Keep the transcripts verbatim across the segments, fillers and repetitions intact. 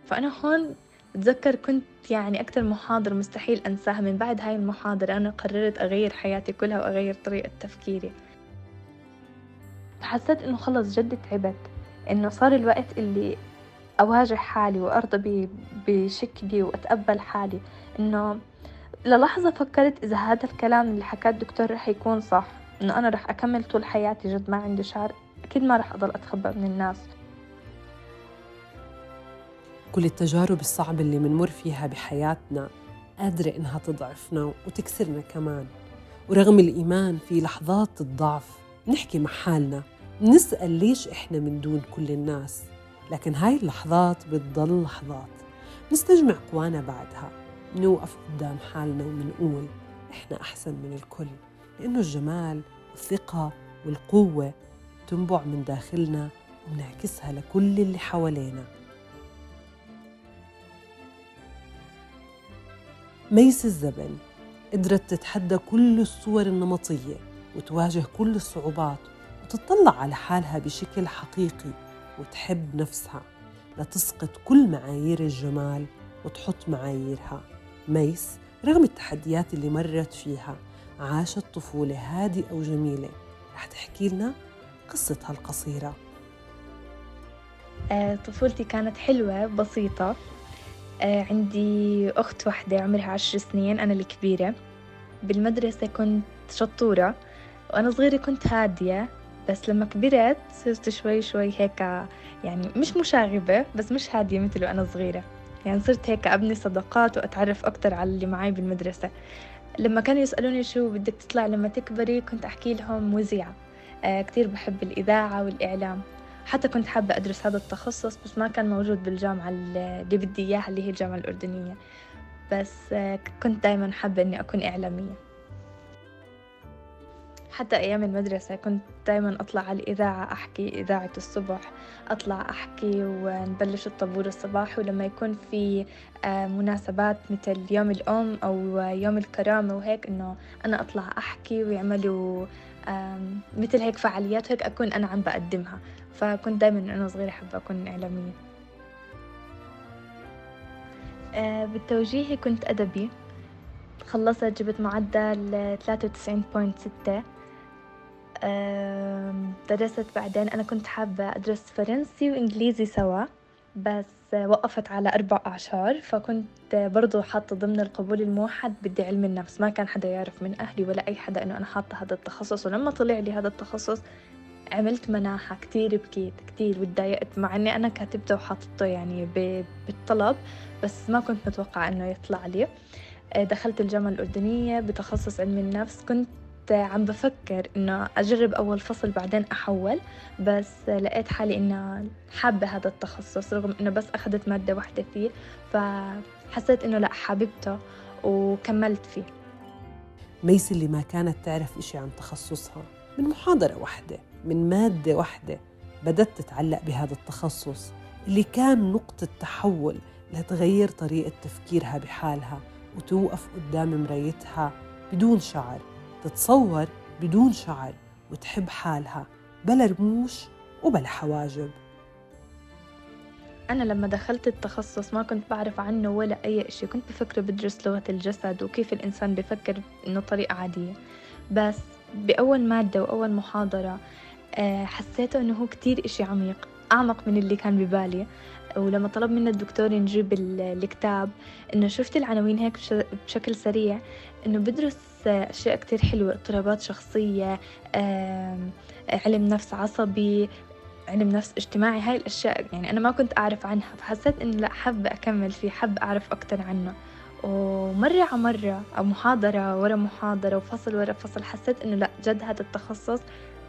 فأنا هون بتذكر كنت يعني أكتر محاضرة مستحيل أنساها. من بعد هاي المحاضرة أنا قررت أغير حياتي كلها وأغير طريقة تفكيري. فحسيت إنه خلص جد تعبت، إنه صار الوقت اللي أواجه حالي وأرضى بشكلي وأتقبل حالي. إنه للحظة فكرت إذا هذا الكلام اللي حكاه الدكتور رح يكون صح، إنه أنا رح أكمل طول حياتي جد ما عندي شعر، أكيد ما رح أضل أتخبى من الناس. كل التجارب الصعبة اللي منمر فيها بحياتنا قادرة إنها تضعفنا وتكسرنا كمان. ورغم الإيمان في لحظات الضعف نحكي مع حالنا، نسأل ليش إحنا من دون كل الناس. لكن هاي اللحظات بتضل لحظات، نستجمع قوانا بعدها، نوقف قدام حالنا ومنقول إحنا أحسن من الكل، لأنه الجمال والثقة والقوة تنبع من داخلنا ومنعكسها لكل اللي حوالينا. ميس الزبن قدرت تتحدى كل الصور النمطية وتواجه كل الصعوبات وتطلع على حالها بشكل حقيقي وتحب نفسها لتسقط كل معايير الجمال وتحط معاييرها. ميس رغم التحديات اللي مرت فيها عاشت طفولة هادئة وجميلة. رح تحكي لنا قصتها القصيرة. آه، طفولتي كانت حلوة بسيطة. آه، عندي أخت واحدة عمرها عشر سنين، أنا الكبيرة. بالمدرسة كنت شطورة، وأنا صغيرة كنت هادية، بس لما كبرت صرت شوي شوي هيك، يعني مش مشاغبة بس مش هادية مثل وأنا صغيرة. يعني صرت هيك أبني صداقات وأتعرف أكتر على اللي معي بالمدرسة. لما كانوا يسألوني شو بدك تطلع لما تكبري، كنت أحكي لهم مذيعة. آه، كتير بحب الإذاعة والإعلام. حتى كنت حابة أدرس هذا التخصص بس ما كان موجود بالجامعة اللي بدي إياها، اللي هي الجامعة الأردنية. بس آه، كنت دايما حابة أني أكون إعلامية. حتى أيام المدرسة كنت دايما أطلع على الإذاعة أحكي، إذاعة الصبح، أطلع أحكي ونبلش الطابور الصباحي. ولما يكون في آه، مناسبات مثل يوم الأم أو يوم الكرامة وهيك، إنه أنا أطلع أحكي ويعملوا آم، مثل هيك فعاليات هيك، أكون أنا عم بقدمها. فكنت دايما أنا صغيرة حابة أكون إعلامية. آه، بالتوجيهي كنت أدبي. خلصت جبت معدل ثلاثة وتسعين فاصلة ستة. آم، درست بعدين، أنا كنت حابة أدرس فرنسي وإنجليزي سوا، بس وقفت على أربع أعشار. فكنت برضو حاطة ضمن القبول الموحد بدي علم النفس. ما كان حدا يعرف من أهلي ولا أي حدا إنه أنا حاطة هذا التخصص. ولما طلع لي هذا التخصص عملت مناحة، كتير بكيت كتير وتضايقت، مع إني أنا كاتبته وحاطته يعني ب- بالطلب، بس ما كنت متوقعة إنه يطلع لي. دخلت الجامعة الأردنية بتخصص علم النفس. كنت عم بفكر إنه أجرب أول فصل بعدين أحول، بس لقيت حالي إنه حابة هذا التخصص رغم إنه بس أخذت مادة واحدة فيه. فحسيت إنه لأ، حاببته وكملت فيه. ميس اللي ما كانت تعرف إشي عن تخصصها، من محاضرة واحدة من مادة واحدة بدأت تتعلق بهذا التخصص اللي كان نقطة تحول لتغير طريقة تفكيرها بحالها وتوقف قدام مرايتها بدون شعر، تتصور بدون شعر، وتحب حالها بلا رموش وبلا حواجب. أنا لما دخلت التخصص ما كنت بعرف عنه ولا أي إشي. كنت بفكر بدرس لغة الجسد وكيف الإنسان بفكر إنه طريقة عادية. بس بأول مادة وأول محاضرة آه، حسيته إنه هو كتير إشي عميق، أعمق من اللي كان ببالي. ولما طلب منا الدكتور نجيب ال- الكتاب، إنه شفت العناوين هيك بش- بشكل سريع، إنه بدرس آه، أشياء كتير حلوة، اضطرابات شخصية، آم، علم نفس عصبي، علم نفس اجتماعي. هاي الأشياء يعني أنا ما كنت أعرف عنها. فحسيت إنه لأ، حابة أكمل فيه، حابة أعرف أكتر عنه. ومرة على مرة أو محاضرة ورا محاضرة وفصل ورا فصل، حسيت إنه لأ، جد هذا التخصص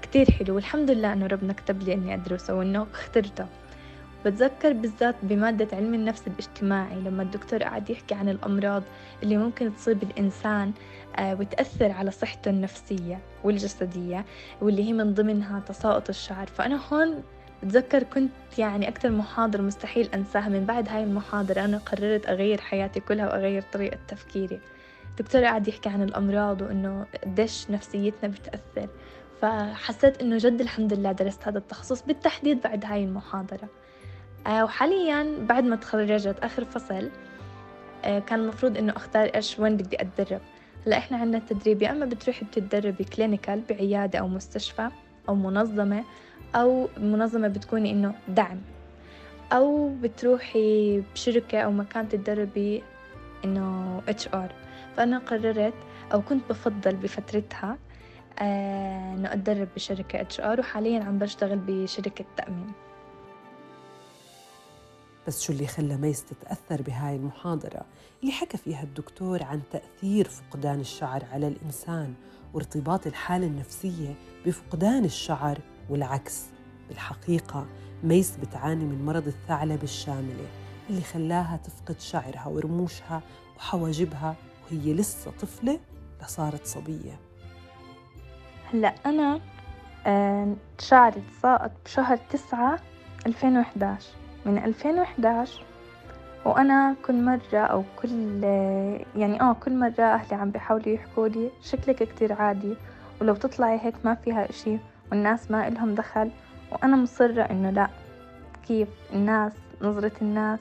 كتير حلو. والحمد لله إنه ربنا كتب لي إني أدرسه وإنه اخترته. بتذكر بالذات بمادة علم النفس الاجتماعي لما الدكتور قاعد يحكي عن الأمراض اللي ممكن تصيب الإنسان آه، وتأثر على صحته النفسية والجسدية، واللي هي من ضمنها تساقط الشعر. فأنا هون بتذكر كنت يعني أكتر محاضرة مستحيل أنساها. من بعد هاي المحاضرة أنا قررت أغير حياتي كلها وأغير طريقة تفكيري. الدكتور قاعد يحكي عن الأمراض وإنه قديش نفسيتنا بتأثر. فحسيت إنه جد الحمد لله درست هذا التخصص بالتحديد بعد هاي المحاضرة. آه وحالياً بعد ما تخرجت آخر فصل آه كان المفروض إنه أختار إيش وين بدي أتدرب. هلا إحنا عندنا التدريب يا أما بتروحي بتتدربي كلينيكال بعيادة أو مستشفى أو منظمة، أو منظمة بتكوني إنه دعم، أو بتروحي بشركة أو مكان تتدربي إنه إتش آر. فأنا قررت أو كنت بفضل بفترتها آه إنه أتدرب بشركة إتش آر، وحالياً عم بشتغل بشركة تأمين. بس شو اللي خلى ميس تتأثر بهاي المحاضرة اللي حكى فيها الدكتور عن تأثير فقدان الشعر على الإنسان وارتباط الحالة النفسية بفقدان الشعر والعكس؟ بالحقيقة ميس بتعاني من مرض الثعلب الشاملة اللي خلاها تفقد شعرها ورموشها وحواجبها وهي لسه طفلة لصارت صبية. هلأ أنا آه شعري تساقط بشهر تسعة ألفين وإحدى عشر. من ألفين وإحدى عشر وأنا كل مرة أو كل يعني آه كل مرة أهلي عم بيحاولوا يحكوا لي شكلك كتير عادي، ولو تطلعي هيك ما فيها إشي والناس ما إلهم دخل. وأنا مصرة إنه لأ، كيف الناس، نظرة الناس،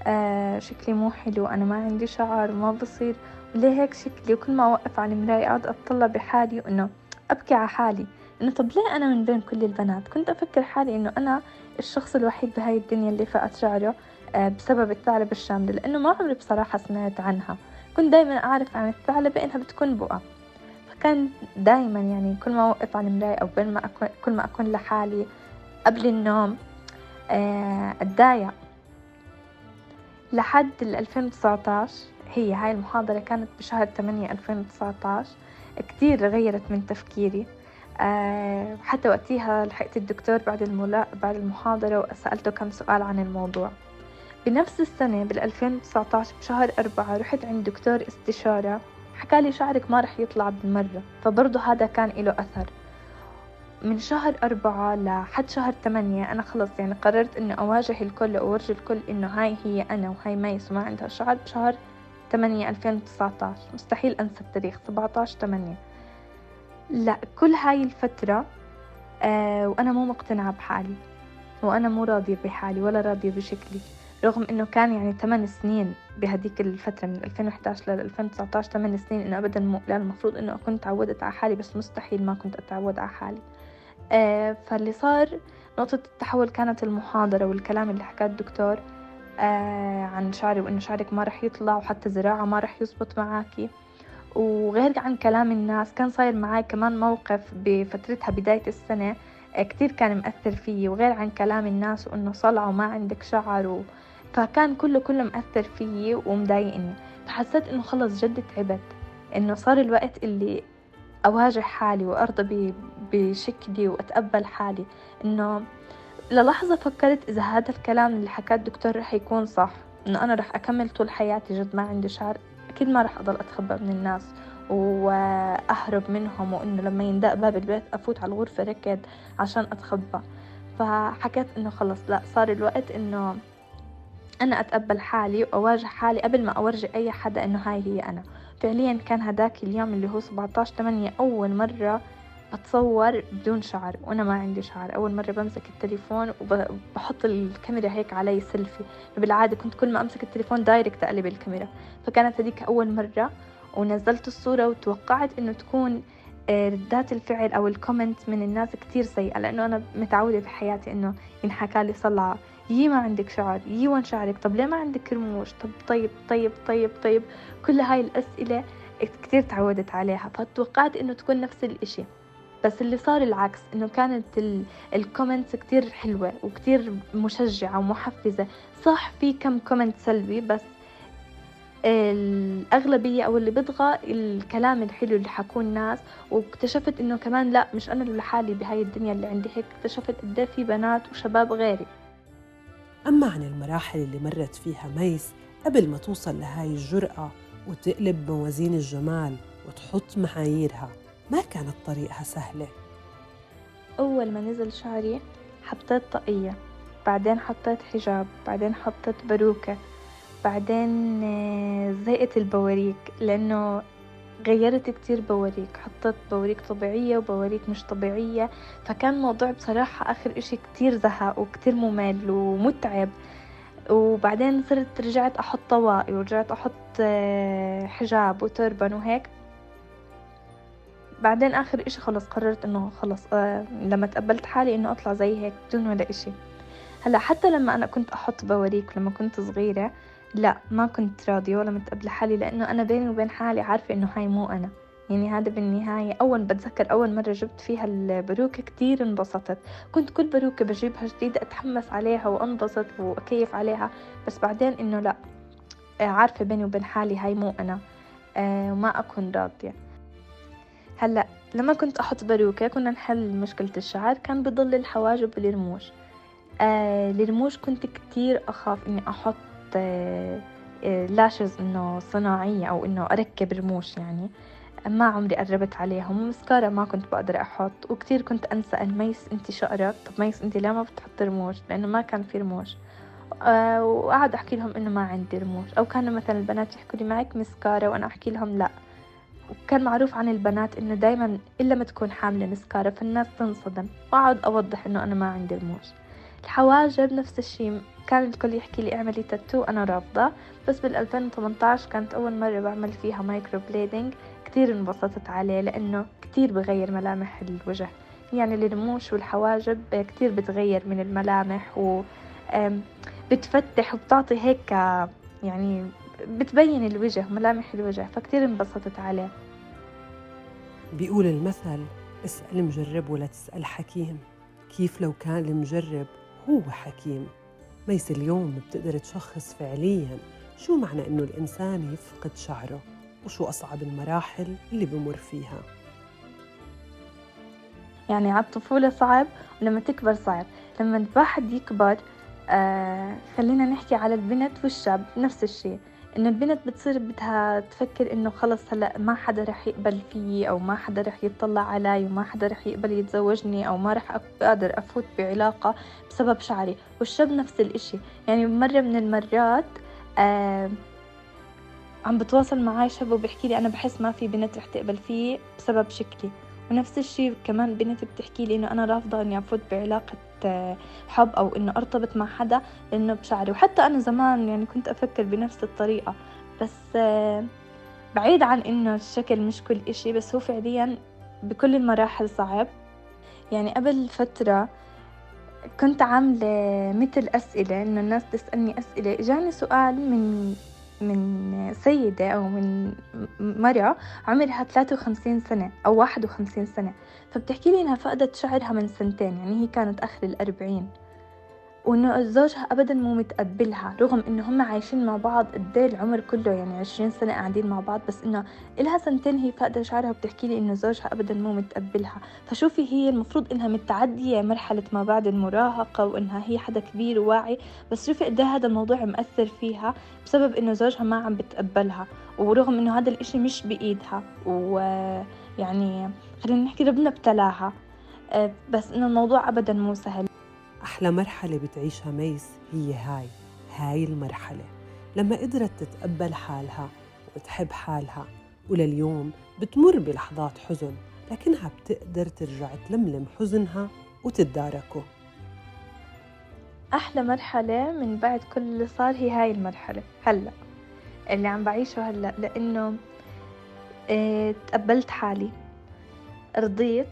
آه شكلي مو حلو، أنا ما عندي شعر وما بصير، وليه هيك شكلي؟ وكل ما أوقف على المراية أقعد أطلع بحالي وإنه أبكي على حالي إنه طب ليه أنا من بين كل البنات؟ كنت أفكر حالي إنه أنا الشخص الوحيد بهاي الدنيا اللي فقد شعره آه بسبب الثعلبة الشاملة، لأنه ما عمري بصراحة سمعت عنها. كنت دايما أعرف عن الثعلبة إنها بتكون بقع، فكان دايما يعني كل ما أوقف على المراية أو بين ما أكون كل ما أكون لحالي قبل النوم آه أتضايق. لحد ألفين وتسعة عشر، هي هاي المحاضرة كانت بشهر ثمانية ألفين وتسعة عشر، كتير غيرت من تفكيري. أه حتى وقتها لحقت الدكتور بعد الملا... بعد المحاضرة وسألته كم سؤال عن الموضوع. بنفس السنة بالألفين وتسعة عشر بشهر أربعة رحت عند دكتور استشارة، حكالي شعرك ما رح يطلع بالمرة، فبرضه هذا كان له أثر. من شهر أربعة لحد شهر ثمانية أنا خلص يعني قررت إنه أواجه الكل وأورجي الكل إنه هاي هي أنا وهاي ميس وما عندها شعر. بشهر ثمانية ألفين وتسعة عشر مستحيل أنسى التاريخ، سبعة عشر ثمانية. لا، كل هاي الفترة آه وأنا مو مقتنعة بحالي، وأنا مو راضية بحالي ولا راضية بشكلي، رغم إنه كان يعني ثمان سنين بهديك الفترة من ألفين وإحدى عشر ل ألفين وتسعة عشر، ثمان سنين إنه أبدا مو لا، المفروض إنه أكون تعودت على حالي، بس مستحيل ما كنت أتعود على حالي. آه فاللي صار نقطة التحول كانت المحاضرة والكلام اللي حكاه الدكتور آه عن شعري، وإنه شعرك ما رح يطلع وحتى زراعة ما رح يزبط معاكي. وغير عن كلام الناس كان صاير معاي كمان موقف بفترتها بداية السنة آه كتير كان مأثر فيي، وغير عن كلام الناس وإنه صلع وما عندك شعر و... فكان كله كله مأثر فيي ومضايقني. فحسيت إنه خلص جد تعبت، إنه صار الوقت اللي أواجه حالي وأرضى بشكلي وأتقبل حالي. إنه للحظة فكرت إذا هذا الكلام اللي حكاه الدكتور رح يكون صح، إنه أنا رح أكمل طول حياتي جد ما عندي شعر، أكيد ما رح أضل أتخبى من الناس وأهرب منهم، وإنه لما يندق باب البيت أفوت على الغرفة ركض عشان أتخبى. فحكيت إنه خلص لا، صار الوقت إنه أنا أتقبل حالي وأواجه حالي قبل ما أورجي أي حدا إنه هاي هي أنا. فعليا كان هداك اليوم اللي هو سبعة عشر ثمانية أول مرة أتصور بدون شعر وأنا ما عندي شعر، أول مرة بمسك التليفون وبحط الكاميرا هيك علي سيلفي. بالعادة كنت كل ما أمسك التليفون دايركت أقلب الكاميرا، فكانت هذيك أول مرة. ونزلت الصورة وتوقعت إنه تكون ردات الفعل أو الكومنت من الناس كتير سيئة، لأنه أنا متعودة بحياتي إنه ينحكى لي صلعة، يي ما عندك شعر، يي وين شعرك، طب ليه ما عندك رموش، طب طيب طيب طيب طيب كل هاي الأسئلة كتير تعودت عليها، فتوقعت إنه تكون نفس الإشي. بس اللي صار العكس، إنه كانت الكومنتس كتير حلوة وكتير مشجعة ومحفزة. صح في كم كومنت سلبي، بس الأغلبية أو اللي بيطغى الكلام الحلو اللي حكوه الناس. واكتشفت إنه كمان لا، مش أنا اللي لحالي بهاي الدنيا اللي عندي هيك، اكتشفت قد في بنات وشباب غيري. أما عن المراحل اللي مرت فيها ميس قبل ما توصل لهاي الجرأة وتقلب موازين الجمال وتحط معاييرها، ما كانت طريقها سهلة. أول ما نزل شعري حطيت طاقية، بعدين حطيت حجاب، بعدين حطيت باروكة، بعدين زيقت البواريك، لأنه غيّرت كتير بواريك، حطيت بواريك طبيعية وبواريك مش طبيعية، فكان الموضوع بصراحة آخر إشي كتير زهق وكتير ممل ومتعب. وبعدين صرت رجعت أحط طواقي ورجعت أحط آه، حجاب وتربن وهيك. بعدين آخر إشي خلص قررت إنه خلص آه لما تقبلت حالي إنه أطلع زي هيك بدون ولا إشي. هلا حتى لما أنا كنت أحط بواريك لما كنت صغيرة، لا ما كنت راضية ولا متقبلة حالي، لأنه أنا بيني وبين حالي عارفة إنه هاي مو أنا. يعني هذا بالنهاية أول بتذكر أول مرة جبت فيها الباروكة كتير انبسطت، كنت كل باروكة بجيبها جديدة أتحمس عليها وأنبسط وأكيف عليها، بس بعدين إنه لا، آه، عارفة بيني وبين حالي هاي مو أنا آه، وما أكون راضية. هلا لما كنت أحط باروكة كنا نحل مشكلة الشعر، كان بضل الحواجب والرموش. آه الرموش كنت كتير أخاف إني أحط آه آه لاشز إنه صناعية أو إنه أركب رموش، يعني ما عمري قربت عليهم. مسكارا ما كنت بقدر أحط، وكتير كنت أنسأل ميس أنتي شقرك، طب ميس أنتي ليه ما بتحطي رموش، لأنه ما كان في رموش. آه وقعد أحكي لهم إنه ما عندي رموش، أو كانوا مثلا البنات يحكوا لي معك مسكارا وأنا أحكي لهم لا. وكان معروف عن البنات إنه دايما إلا ما تكون حاملة مسكارا فالناس تنصدم، وأقعد أوضح إنه أنا ما عندي رموش. الحواجب نفس الشيء، كان الكل يحكي لي اعملي تاتو، أنا رافضة. بس بال ألفين وثمانية عشر كانت أول مرة بعمل فيها مايكرو بليدنج، كتير انبسطت عليه لأنه كتير بغير ملامح الوجه. يعني الرموش والحواجب كتير بتغير من الملامح و آم، بتفتح وبتعطي هيك يعني بتبين الوجه ملامح الوجه، فكتير انبسطت عليه. بيقول المثل اسأل مجرب ولا تسأل حكيم. كيف لو كان المجرب هو حكيم؟ ميس اليوم بتقدر تشخص فعلياً شو معنى إنه الإنسان يفقد شعره وشو أصعب المراحل اللي بمر فيها. يعني على الطفولة صعب، ولما تكبر صعب. لما الواحد يكبر آه خلينا نحكي على البنت والشاب نفس الشيء، إنه البنت بتصير بدها تفكر إنه خلص هلأ ما حدا رح يقبل فيي، أو ما حدا رح يطلع علي، وما حدا رح يقبل يتزوجني، أو ما رح أقدر أفوت بعلاقة بسبب شعري. والشاب نفس الإشي. يعني مرة من المرات آه عم بتواصل معاي شاب وبيحكي لي أنا بحس ما في بنت رح تقبل فيه بسبب شكلي. ونفس الشيء كمان بنت بتحكي لي إنه أنا رافضة إني أفوت بعلاقة آه، حب أو إنه أرتبط مع حدا لأنه بشعري. وحتى أنا زمان يعني كنت أفكر بنفس الطريقة، بس آه، بعيد عن إنه الشكل مش كل إشي، بس هو فعليا بكل المراحل صعب. يعني قبل فترة كنت عاملة مثل أسئلة إنه الناس تسألني أسئلة، إجاني سؤال من من سيدة أو من مرة عمرها ثلاثة وخمسين سنة أو واحد وخمسين سنة، فبتحكي لي إنها فقدت شعرها من سنتين، يعني هي كانت آخر الأربعين، وإنه زوجها أبدا مو متقبلها رغم إنه هم عايشين مع بعض قديه العمر كله، يعني عشرين سنة قاعدين مع بعض، بس إنه إلها سنتين هي فاقدة شعرها وبتحكي لي إنه زوجها أبدا مو متقبلها. فشوفي هي المفروض إنها متعدية مرحلة ما بعد المراهقة وإنها هي حدا كبير وواعي، بس شوفي قديه هذا الموضوع مأثر فيها بسبب إنه زوجها ما عم بتقبلها، ورغم إنه هذا الإشي مش بإيدها، ويعني خلينا نحكي ربنا ابتلاها، أه، بس إنه الموضوع أبدا مو سهل. أحلى مرحلة بتعيشها ميس هي هاي هاي المرحلة لما قدرت تتقبل حالها وتحب حالها، ولليوم بتمر بلحظات حزن لكنها بتقدر ترجع تلملم حزنها وتتداركه. أحلى مرحلة من بعد كل اللي صار هي هاي المرحلة هلأ اللي عم بعيشه هلأ، لأنه اه تقبلت حالي، رضيت،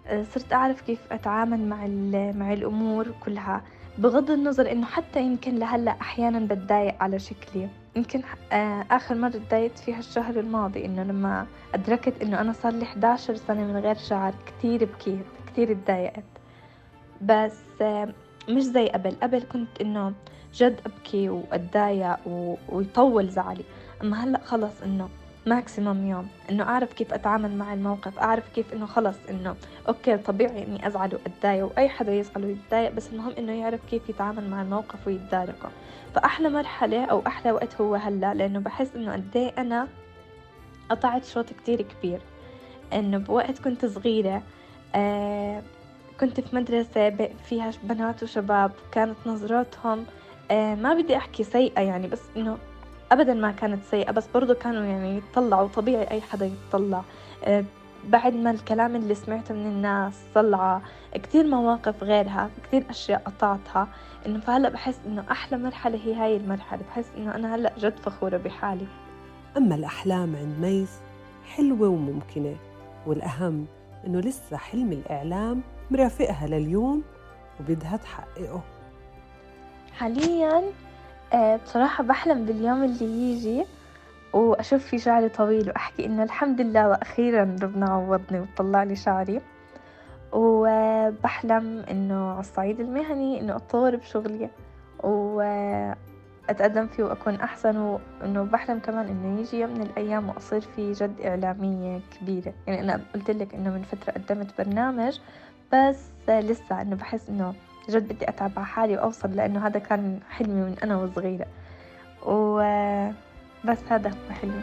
اه صرت أعرف كيف أتعامل مع مع الأمور كلها، بغض النظر إنه حتى يمكن لهلأ أحيانا بتضايق على شكلي. يمكن اه آخر مرة تضايقت فيها الشهر الماضي، إنه لما أدركت إنه أنا صار لي إحدى عشر سنة من غير شعر، كتير بكيت كتير اتضايقت. بس اه مش زي قبل. قبل كنت إنه جد أبكي وأتضايق و... ويطول زعلي، أما هلأ خلص إنه ماكسيمم يوم، إنه أعرف كيف أتعامل مع الموقف، أعرف كيف إنه خلص إنه أوكي طبيعي إني أزعل وأتضايق، وأي حدا يزعل ويتضايق، بس المهم إنه يعرف كيف يتعامل مع الموقف ويتداركه. فأحلى مرحلة أو أحلى وقت هو هلأ، لأنه بحس إنه قديه أنا قطعت شوط كتير كبير. إنه بوقت كنت صغيرة آه كنت في مدرسة فيها بنات وشباب، كانت نظراتهم آه ما بدي أحكي سيئة يعني، بس إنه أبدا ما كانت سيئة، بس برضو كانوا يعني يتطلعوا، طبيعي أي حدا يتطلع. آه، بعد ما الكلام اللي سمعته من الناس طلعة كتير مواقف غيرها، كتير أشياء قطعتها، إنه فهلأ بحس إنه أحلى مرحلة هي هاي المرحلة. بحس إنه أنا هلأ جد فخورة بحالي. أما الأحلام عند ميس حلوة وممكنة، والأهم إنه لسه حلم الإعلام مرافقها لليوم وبدها تحققه. حاليا آه، بصراحة بحلم باليوم اللي يجي وأشوف في شعري طويل وأحكي إنه الحمد لله وأخيرا ربنا عوضني وطلع لي شعري. وبحلم إنه على الصعيد المهني إنه أتطور بشغلي وأتقدم فيه وأكون أحسن، وإنه بحلم كمان إنه يجي يوم من الأيام وأصير في جد إعلامية كبيرة. يعني أنا قلت لك إنه من فترة قدمت برنامج، بس لسه إنه بحس إنه جد بدي أتعب على حالي وأوصل، لأنه هذا كان حلمي من أنا وصغيرة. وبس هذا هو حلمي.